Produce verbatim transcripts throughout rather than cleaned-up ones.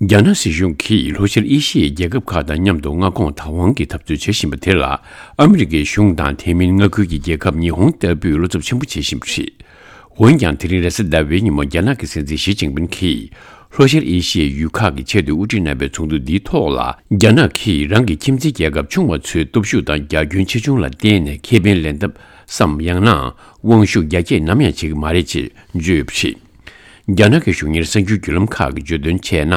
རྒྱ་ནག་སྲིད་གཞུང་གིས་ལྷོ་ཤར་ཨེ་ཤི་ཡའི་རྒྱལ་ཁབ་ཁག་དང་མཉམ་དུ་མངའ་ཁོངས་བདག་དབང་གི་འཐབ་རྩོད་བྱེད་བཞིན་པ་དེ་ལ། ཨ་མི་རི་ཀའི་གཞུང་དང་དེ་མིན་མངའ་ཁུལ་གྱི་རྒྱལ་ཁབ་ཉི་ཧོང་ལྟ་བུས་བློ་འཚབ་ཆེན་པོ་བྱེད་བཞིན་པ་རེད། འོན་ཀྱང་། དེ་རིང་རེས་གཟའ་ཟླ་བའི་ཉིན་མོ་རྒྱ་ནག་གི་སྲིད་འཛིན་ཞི་ཅིན་ཕིན་གྱིས་ལྷོ་ཤར་ཨེ་ཤི་ཡའི་ཡུལ་ཁག་གི་ཆེད་དུ་དབུ་ཁྲིད་གནང་བའི་ཚོགས་འདུ་འདིའི་ཐོག་ལ། རྒྱ་ནག་གིས་རང་གི་ཁྱིམ་མཚེས་རྒྱལ་ཁབ་ཆུང་བ་ཚོའི་སྟོབས་ཤུགས་དང་རྒྱ་ཁྱོན་ཆེ་ཆུང་ལ་བརྟེན་ནས་ཁེ་ཕན་ལེན་ཐབས་སམ། ཡང་ན་དབང་ཤུགས་རྒྱ་སྐྱེད་ནམ་ཡང་བྱེད་ཀྱི་མ་རེད་ཅེས་བརྗོད་ཡོད་པ་རེད། རྒྱ་ནག་གི་གཞུང་གཉེར་གསར་འགྱུར་བརྒྱུད་ལམ་ཁག་གིས་བརྗོད་དོན་བྱས་ན།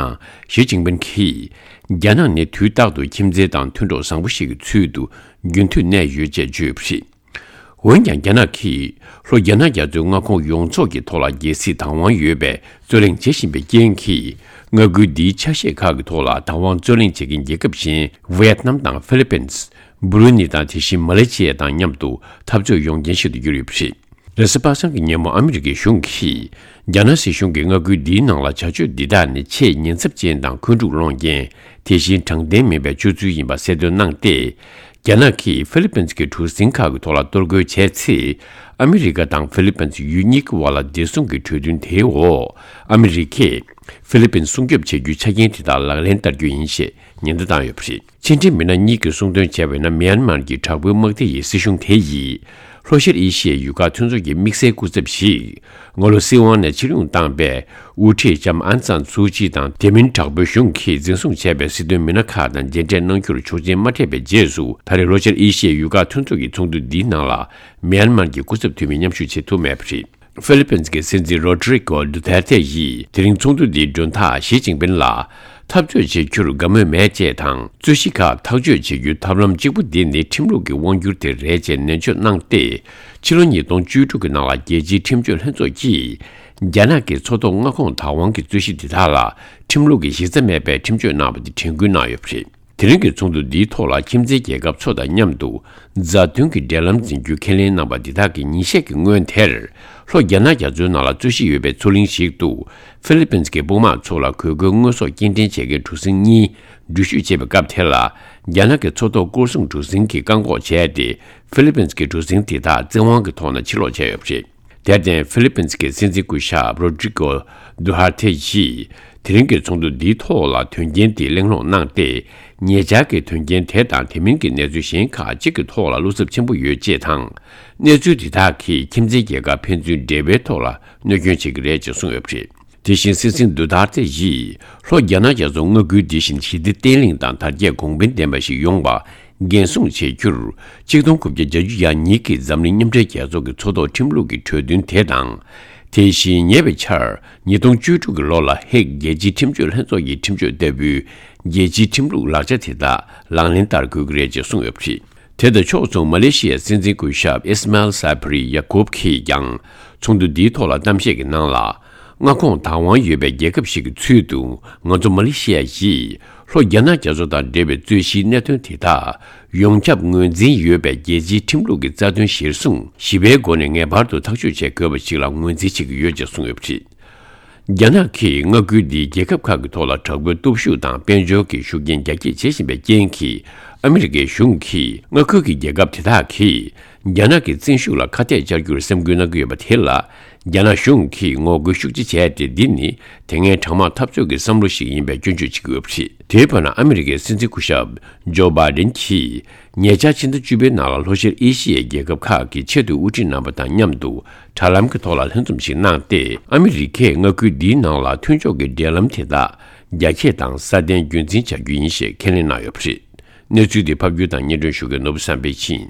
ཞི་ཅིན་ཕིན་གྱིས། རྒྱ་ནག་ནི་དུས་རྟག་ཏུ་ཁྱིམ་མཚེས་དང་མཐུན་གྲོགས་བཟང་པོ་ཞིག་གི་ཚུལ་དུ་རྒྱུན་མཐུད་གནས་ཡོད་ཅེས་བརྗོད་ཡོད་པ་རེད། འོན་ཀྱང་། རྒྱ་ནག་གིས་ལྷོ་རྒྱ་ནག་རྒྱ་མཚོའི་མངའ་ཁོངས་ཡོངས་རྫོགས་ཀྱི་ཐོག་ལ་རྒྱལ་སྲིད་བདག་དབང་ཡོད་པའི་རྩོད་གླེང་བྱེད་བཞིན་པའི་རྐྱེན་གྱིས། མངའ་ཁུལ་འདིའི་ཆ་ཤས་ཁག་གི་ཐོག་ལ་བདག་དབང་རྩོད་གླེང་བྱེད་མཁན་རྒྱལ་ཁབ་གཞན། ཝེ་ཏི་ནམ་དང་ཧྥི་ལི་པིན། སྦུ་རུ་ནི་དང་དེ་བཞིན་མ་ལེ་ཤི་ཡ་དང་མཉམ་དུ་འཐབ་རྩོད་ཡོང་རྐྱེན་ཞིག་ཏུ་གྱུར་ཡོད་པ་རེད། རེས་གཟའ་པ་སངས་ཀྱི་ཉིན་མོ་ཨ་མི་རི་ཀའི་གཞུང་གིས། རྒྱ་ནག་སྲིད་གཞུང་གིས་མངའ་ཁུལ་འདིའི་ནང་ལ་བྱ་སྤྱོད་འདི་དག་ནི་ཆེས་ཉེན་ཚབས་ཅན་དང་འཁོན་འཁྲུག་སློང་རྐྱེན། དེ་བཞིན་དྲང་བདེན་མིན་པའི་སྤྱོད་ཚུལ་ཡིན་པ་གསལ་སྟོན་གནང་སྟེ། རྒྱ་ནག་གིས་ཧྥི་ལི་པིན་གྱི་གྲུ་གཟིངས་ཁག་གི་ཐོག་ལ་གཏོར་རྒོལ་བྱས་ཚེ། ཨ་མི་རི་ཀ་དང་ཧྥི་ལི་པིན་ཡུལ་གཉིས་ཀྱི་བར་ལ་བདེ་སྲུང་གི་གྲོས་མཐུན་དེའི་འོག་ཨ་མི་རི་ཀས་ཧྥི་ལི་པིན་སྲུང་སྐྱོབ་བྱེད་རྒྱུའི་ཆ་རྐྱེན་དེ་དག་ལག་ལེན་བསྟར་རྒྱུ་ཡིན་ཞེས་ཉེན་བརྡ་བཏང་ཡོད་པ་རེད། ཕྱི་འབྲེལ་མི་སྣ་གཉིས་ཀྱིས་གསུངས་དོན་བྱས་པ་ཡིན་ན། མེན་མར་གྱི་དྲག་པོའི་དམག་སྡེ་ཡི་སྲིད་གཞུང་དེ་ཡིས། ལྷོ་ཤར་ཨེ་ཤི་ཡའི་ཡུལ་ཁག་མཐུན་ཚོགས་ཀྱི་དམིགས་བསལ་སྐུ་ཚབ་ཞིག་སྔ་ལོ་སྲིད་དབང་ནས་ཕྱིར་ཡོང་བཏང་པའི་དབུ་ཁྲིད་ལྕམ་ཨན་སན་སུའུ་ཅི་དང་། དེ་མིན་དྲག་པོའི་གཞུང་གིས་འཛིན་བཟུང་བྱས་པའི་སྲིད་དོན་མི་སྣ་ཁག་དང་མཇལ་འཕྲད་གནང་རྒྱུར་ཆོག་མཆན་མ་སྤྲད་པའི་རྗེས་སུ། ད་རེས་ལྷོ་ཤར་ཨེ་ཤི་ཡའི་ཡུལ་ཁག་མཐུན་ཚོགས་ཀྱི་ཚོགས་འདུ་འདིའི་ནང་ལ་མེན་མར་གྱི་སྐུ་ཚབ་འཐུས་མི་མཉམ་ཞུགས་བྱེད་ཐུབ་མེད་པ་རེད། ཧྥི་ལི་པིན་གྱི་སྲིད་འཛིན་རོ་ཌི་རི་ཀོ་ཌུ་ཐེར་ཐེ་ཡིས་དེ་རིང་ཚོགས་འདུ་འདིའི་མགྲོན་བདག་ཞི་ཅིན་ཕིན་ལ། འཐབ་རྩོད་བྱེད་རྒྱུར་དགའ་མོས་མེད་ཅེས་དང་། རྩོད་གཞི་ཁག་ཐག་གཅོད་བྱེད་རྒྱུའི་ཐབས་ལམ་གཅིག་པུ་འདི་ནི་ཁྲིམས་ལུགས་ཀྱི་དབང་སྒྱུར་དེ་རེད་ཅེས་ནན་བརྗོད་གནང་སྟེ། ཕྱི་ལོ་ཉིས་སྟོང་བཅུ་དྲུག་གི་ནང་ལ་རྒྱལ་སྤྱིའི་ཁྲིམས་གཅོད་ལྷན་ཚོགས་ཀྱིས། རྒྱ་ནག་གི་མཚོ་ཐོག་མངའ་ཁོངས་བདག་དབང་གི་རྩོད་གཞི་འདི་དག་ལ། ཁྲིམས་ལུགས་ཀྱི་གཞི་རྩ་མེད་པའི་ཁྲིམས་གཅོད་གནང་བ་དེ་དྲན་སྐུལ་གནང་ཡོད་པ་རེད། དེ་རིང་གི་ཚོགས་འདུ་འདིའི་ཐོག་ལ་ཁྱིམ་མཚེས་རྒྱལ་ཁབ་ཚོ་དང་མཉམ་དུ་མཛའ་མཐུན་གྱི་འབྲེལ་ལམ་འཛིན་རྒྱུ་ཁས་ལེན་གནང་པ་འདི་དག་གི་ཉིན་ཤས་ཀྱི་སྔོན་དེར། ལྷོ་རྒྱ་ནག་རྒྱ་མཚོའི་ནང་ལ་རྩོད་གཞི་ཡོད་པའི་མཚོ་གླིང་ཞིག་ཏུ། ཧྥི་ལི་པིན་གྱི་དཔུང་དམག་ཚོ་ལ་གོས་གོས་དངོས་ཟོག་སྐྱེལ་འདྲེན་བྱེད་མཁན་གྲུ་གཟིངས་གཉིས་འགྲུལ་བཞུད་བྱེད་པའི་སྐབས་དེ་ལ། རྒྱ་ནག་གི་མཚོ་ཐོག་སྐོར་སྲུང་གྲུ་གཟིངས་ཀྱིས་བཀག་འགོག་བྱས་ཏེ། ཧྥི་ལི་པིན་གྱི་གྲུ་གཟིངས་དེ་དག་བཙན་དབང་གི་ཐོག་ནས་ཕྱིར་ལོག་བྱས་ཡོད་པ་རེད། དེར་བརྟེན། ཧྥི་ལི་པིན་གྱི་སྲིད་འཛིན་སྐུ་ཞབས་རོ་ཌི་རི་ཀོ་རྡུ་ཧར་ཐེ་ཡིས། དེ་རིང་གི་ཚོགས་འདུ་འདིའི་ཐོག་ལ་དོན་རྐྱེན་དེ་གླེང་སློང་གནང་སྟེ། ཉེ་ཆར་གྱི་དོན་རྐྱེན་དེ་དང་དེ་མིན་གྱི་གནས་ཚུལ་གཞན་ཁག་ཅིག་གི་ཐོག་ལ་བློ་འཚབ་ཆེན་པོ་ཡོད་ཅེས་དང་། གནས་ཚུལ་དེ་དག་གིས་ཁྱིམ་མཚེས་རྒྱལ་ཁབ་ཕན་ཚུན་འབྲེལ་བའི་ཐོག་ལ་གནོད་སྐྱོན་བྱེད་ཀྱི་རེད་ཅེས་གསུངས་ཡོད་པ་རེད། དེ་བཞིན་སྲིད་འཛིན་རྡུ་ཐར་ཐེ་ཡིས། ལྷོ་རྒྱ་ནག་རྒྱ་མཚོ་མངའ་ཁུལ་འདི་བཞིན་ཞི་བདེ་བརྟན་ལྷིང་དང་དར་རྒྱས་གོང་འཕེལ་ལྡན་པ་ཞིག་ཡོང་བ། འགན་སྲུང་བྱེད་རྒྱུར། གཅིག་སྟོང་དགུ་བརྒྱ་གྱ་གཉིས་ཀྱི་འཛམ་གླིང་མཉམ་འབྲེལ་རྒྱལ་ཚོགས་ཀྱི་མཚོ་ཐོག་ཁྲིམས་ལུགས་ཀྱི་གྲོས་མཐུན་དེ་དང་། དེ་བཞིན་ཉེ་བའི་ཆར་ཉིས་སྟོང་བཅུ་དྲུག་གི་ལོ་ལ་ཧེག་རྒྱལ་སྤྱིའི་ཁྲིམས་གཅོད་ལྷན་ཚོགས་ཀྱི་ཁྲིམས་གཅོད་ལྟ་བུའི་རྒྱལ་སྤྱིའི་ཁྲིམས་ལུགས་ལག་ཆ་དེ་དག་ལག་ལེན་བསྟར་དགོས་ཀྱི་རེད་ཅེས་གསུངས་ཡོད་པ་རེད། དེ་དང་ཕྱོགས་མཚུངས་མ་ལེ་ཤི་ཡའི་སྲིད་འཛིན་སྐུ་ཞབས་ཨིས་མཱལ་སཱ་བྷི་རི་ཡ་ཀོབ་ཀྱིས་ཀྱང་ཚོགས་འདུ་འདིའི་ཐོག་ལ་གཏམ་བཤད་ཀྱི་ནང་ལ། མངའ་ཁོངས་བདག་དབང་ཡོད་པའི་རྒྱལ་ཁབ་ཞིག་གི་ཚུལ་དུ་ང་ཚོ་མ་ལེ་ཤི་ཡ་ཡིས་ལྷོ་རྒྱ་ནག་རྒྱ་མཚོ་དང་འབྲེལ་བའི་རྩོད་གཞིའི་གནད་དོན་དེ་དག་ཡོངས་ཁྱབ་ངོས་འཛིན་ཡོད་པའི་རྒྱལ་སྤྱིའི་ཁྲིམས་ལུགས་ཀྱི་རྩ་དོན་གཞིར་བཟུང་ཞི་བའི་སྒོ་ནས་ངེས་པར་དུ་ཐག་གཅོད་བྱེད་དགོས་པ་ཞིག་ལ་ངོས་འཛིན་བྱེད་ཀྱི་ཡོད་ཅེས་གསུངས་ཡོད་པ་རེད། རྒྱ་ནག་གིས་མངའ་ཁུལ་འདིའི་རྒྱལ་ཁབ་ཁག་གི་ཐོག་ལ་དྲག་པོའི་སྟོབས་ཤུགས་དང་དཔལ་འབྱོར་གྱི་ཤུགས་རྐྱེན་རྒྱ་སྐྱེད་བྱེད་བཞིན་པའི་རྐྱེན་གྱིས། ཨ་མི་རི་ཀའི་གཞུང་གིས་མངའ་ཁུལ་གྱི་རྒྱལ་ཁབ་དེ་དག་གིས་རྒྱ་ནག་གི་བཙན་ཤུགས་ལ་ཁ་གཏད་བཅག་རྒྱུར་སེམས་ཁུར་གནང་གི་ཡོད་པ་དེ་ལ། རྒྱ་ནག་གཞུང་གིས་ངོ་རྒོལ་ཤུགས་ཆེ་བྱས་ཏེ། འདི་ནི་དེ་སྔའི་གྲང་དམག་འཐབ་རྩོད་ཀྱི་བསམ་བློ་ཞིག་ཡིན་པའི་སྐྱོན་བརྗོད་བྱེད་ཀྱི་ཡོད་པ་རེད། དེའི་བར་ན། ཨ་མི་རི་ཀའི་སྲིད་འཛིན་སྐུ་ཞབས་ཇོ་བྷའི་ཌེན་གྱིས། ཉེ་ཆར་ཕྱི་ཟླ་བཅུ་པའི་ནང་ལ་ལྷོ་ཤར་ཨེ་ཤི་ཡའི་རྒྱལ་ཁབ་ཁག་གི་ཆེས་མཐོའི་དབུ་ཁྲིད་རྣམ་པ་དང་མཉམ་དུ་དྲ་ལམ་གྱི་ཐོག་ལ་ལྷན་འཛོམས་ཤིག་གནང་སྟེ། ཨ་མི་རི་ཀས་མངའ་ཁུལ་འདིའི་ནང་ལ་མཐུན་ཕྱོགས་ཀྱི་འབྲེལ་ལམ་དེ་དག་རྒྱ་སྐྱེད་དང་སྲ་བརྟན་རྒྱུན་འཛིན་བྱ་རྒྱུ་ཡིན་ཞེས་ཁས་ལེན་གནང་ཡོད་པ་རེད། གནས་ཚུལ་འདི་ཕབ་སྒྱུར་དང་སྙན་སྒྲོན་ཞུ་མཁན་ནོར་བུ་བསམ་འཕེལ་ཡིན།